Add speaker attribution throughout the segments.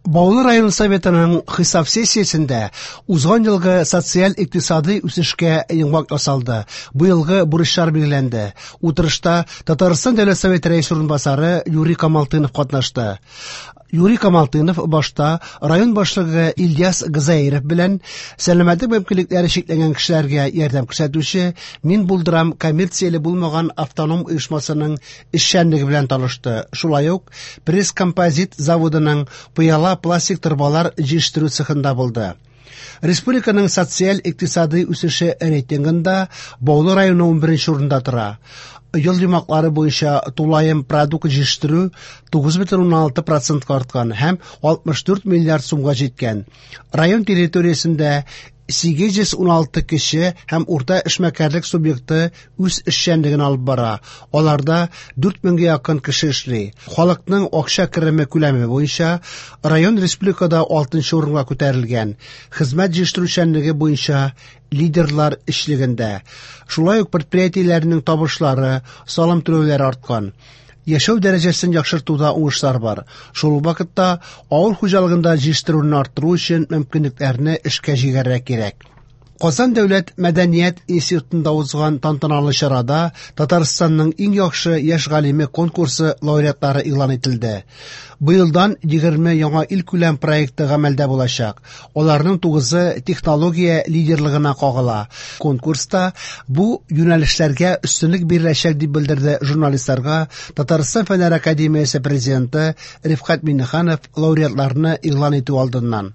Speaker 1: Баулы район Советының хисап сессиясендә узган елгы социаль-икътисадый үсешкә йомгак ясалды, быелгы бурычлар билгеләнде. Утырышта Татарстан Дәүләт Советы рәисе урынбасары Юрий Камалтынов катнашты. Юрий Камалтынов башта район башлыгы Ильяс Газаиров белән сәламәтлек мөмкинлекләре чикләнгән кешеләргә ярдәм күрсәтүче «Мин булдырам» коммерцияле булмаган автоном оешмасының эшчәнлеге белән танышты. Шулай ук Пресс-композит заводының пыяла-пластик торбалар җитештерү цехында булды. Республиканың социаль-икътисадый үсеше рейтингында Баулы районы 11 урында тора. Ел йомгаклары буенча тулаем продукт җитештерү 9,6 процентка арткан һәм 64 миллиард сумга җиткән. Район территориясендә 816 кече һәм урта эшмәкәрлек субъекты үз эшчәнлеген алып бара. Аларда 4 меңгә якын кеше эшли. Халыкның акча кереме күләме буенча район республикада 6 урынга күтәрелгән. Хезмәт җитештерүчәнлеге буенча лидерлар өчлегендә. Шулай ук предприятиеләрнең табышлары, салым түләүләре арткан. Яшәү дәрәҗәсен яхшыртуда уңышлар бар. Шул ук вакытта авыл хуҗалыгында җитештерүне арттыру өчен мөмкинлекләрне эшкә җигәргә кирәк. Казан дәүләт мәдәният институтында узган тантаналы чарада Татарстанның иң яхшы яшь галиме конкурсы лауреатлары игълан ителде. Быелдан 20 яңа илкүләм проекты гамәлдә булачак. Аларның тугызы технология лидерлыгына кагыла. Конкурста бу юнәлешләргә өстенлек биреләчәк, дип белдерде журналистларга Татарстан Фәннәр академиясе президенты Рифкать Миңнеханов лауреатларны игълан итү алдыннан.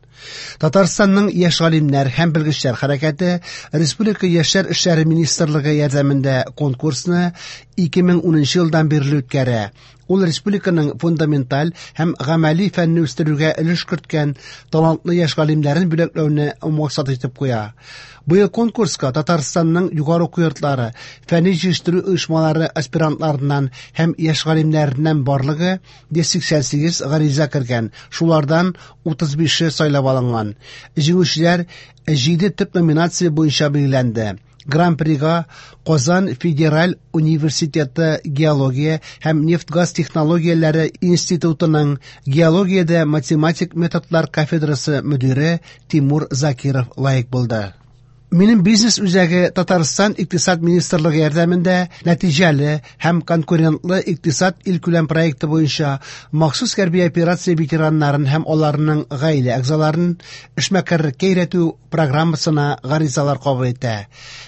Speaker 1: Татарстанның яшь галимнәр һәм белгечләр хәрәкәте Республика яшьләр эшләре министрлыгы ярдәмендә конкурсны 2010 елдан бирле үткәрә. Ул республиканың фундаменталь һәм гамәли фәнне үстерүгә өлеш керткән талантлы яшь галимнәрен бүләкләүне максат итеп куя. Быел конкурска Татарстанның югары уку йортлары, фәнни җитештерү оешмалары аспирантларыннан һәм яшь галимнәреннән барлыгы 188 гариза кергән, шулардан 35-е сайлап алынган. Җиңүчеләр 7 төп номинация буенча билгеләнде. Гран-прига Казан федераль университеты геология һәм нефть-газ технологияләре институтының геологиядә математик методлар кафедрасы мөдире Тимур Закиров лаек булды. Минем бизнес үзәге Татарстан Икътисад министрлыгы ярдәмендә нәтиҗәле һәм конкурентлы икътисад илкүләм проекты буенча махсус хәрби операция ветераннарын һәм аларның гаилә әгъзаларын эшмәкәрлеккә өйрәтү программасына гаризалар кабул итә.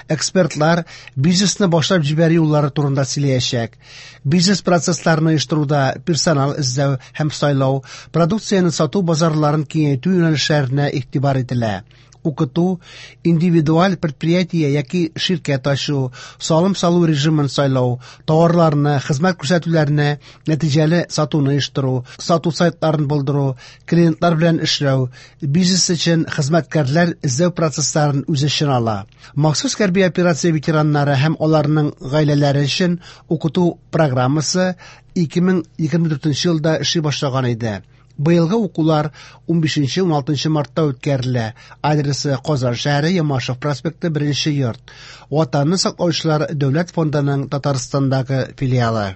Speaker 1: Экспертлар бизнесны башлап җибәрү юллары турында сөйләячәк. Бизнес процессларын оештыруда персонал эзләү һәм сайлау, продукцияне сату базарларын киңәйтү юнәлешләренә игътибар ителә. Укыту, индивидуаль предприятие яки ширкәт ачу, салым салу режимын сайлау, товарларны, хезмәт күрсәтүләрне нәтиҗәле сатуны оештыру, сату сайтларын булдыру, клиентлар белән эшләү, бизнес өчен хезмәткәрләр эзләү процессларын үз эченә ала. Махсус хәрби операция ветераннары һәм аларның гаиләләре өчен укыту программасы 2024 елда эшли башлаган иде. Быелгы укулар 15-16 мартта үткәрелә. Адресы: Казан шәһәре, Ямашев проспекты, 1 йорт. Ватанны саклаучылар дәүләт фондының Татарстандагы филиалы.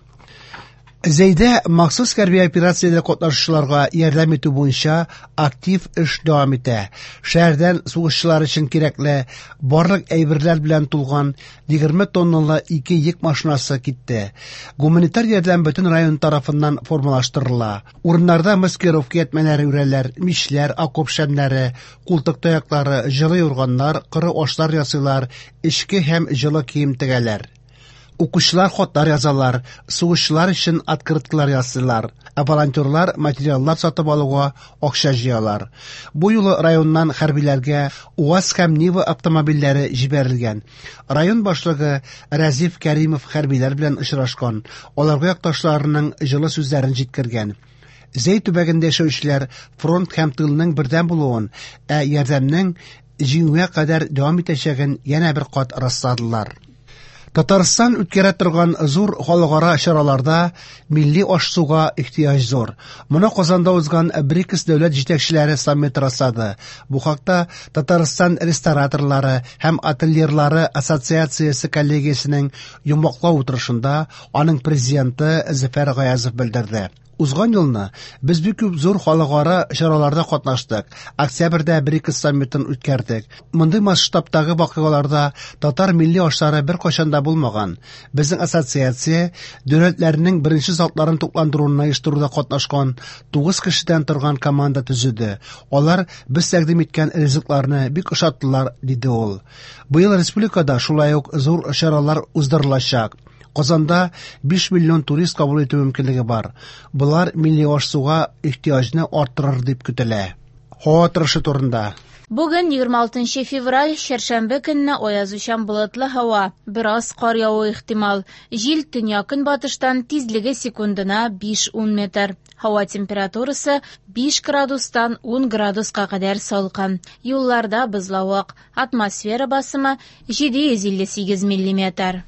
Speaker 1: Зәйдә махсус хәрби операциядә катнашучыларга ярдәм итү буенча актив эш дәвам итә. Шәһәрдән сугышчылар өчен кирәкле барлык әйберләр белән тулган 20 тонналы ике йөк машинасы китте. Гуманитар ярдәм бөтен район тарафыннан формалаштырыла. Урыннарда маскировка ятмәләре үрәләр, мичләр, окоп шәмнәре, култык таяклары, җылы юрганнар, коры ашлар ясыйлар, эчке һәм җылы кием тегәләр. Укучылар хатлар язалар, сугышчылар өчен открыткалар ясыйлар, ә волонтерлар материаллар сатып алуга акча җыялар. Бу юлы районнан хәрбиләргә УАЗ һәм Нива автомобильләре җибәрелгән. Район башлыгы Рәзиф Кәримов хәрбиләр белән очрашкан, аларга якташларының җылы сүзләрен җиткергән. Зәй төбәгендә яшәүчеләр фронт һәм тылның бердәм булуын, ә ярдәмнең җиңүгә кадәр дәвам итәчәген янә бер кат расладылар. Татарстан үткәрә торган зур халыкара чараларда милли аш-суга ихтыяҗ зур. Моны Казанда узган БРИКС дәүләт җитәкчеләре саммиты раслады. Бу хакта Татарстан рестораторлары һәм отельерлары ассоциациясе коллегиясенең йомгаклау утырышында аның президенты Зөфәр Гаязов белдерде. Узган елны без бик күп зур халыкара чараларда катнаштык. Октябрьдә БРИКС саммитын үткәрдек. Мондый масштабтагы вакыйгаларда татар милли ашлары беркайчан да булмаган. Безнең ассоциация дәүләтләрнең беренче затларын тукландыруны оештыруда катнашкан 9 кешедән торган команда төзеде. Алар без тәкъдим иткән ризыкларны бик ошаттылар, диде ул. Быел республикада шулай ук зур чаралар уздырылачак. Казанда 5 миллион турист кабул итү мөмкинлеге бар. Болар милли аш-суга ихтыяҗны арттырыр дип көтелә. Һава торышы турында.
Speaker 2: Бүген 26 февраль, чәршәмбе көнне аязучан болытлы һава, бераз кар явуы ихтимал. Җил төньяк-көнбатыштан, тизлеге секундына 5-10 метр. Һава температурасы 5 градустан 10 градуска кадәр салкын. Юлларда бозлавык. Атмосфера басымы 758 миллиметр.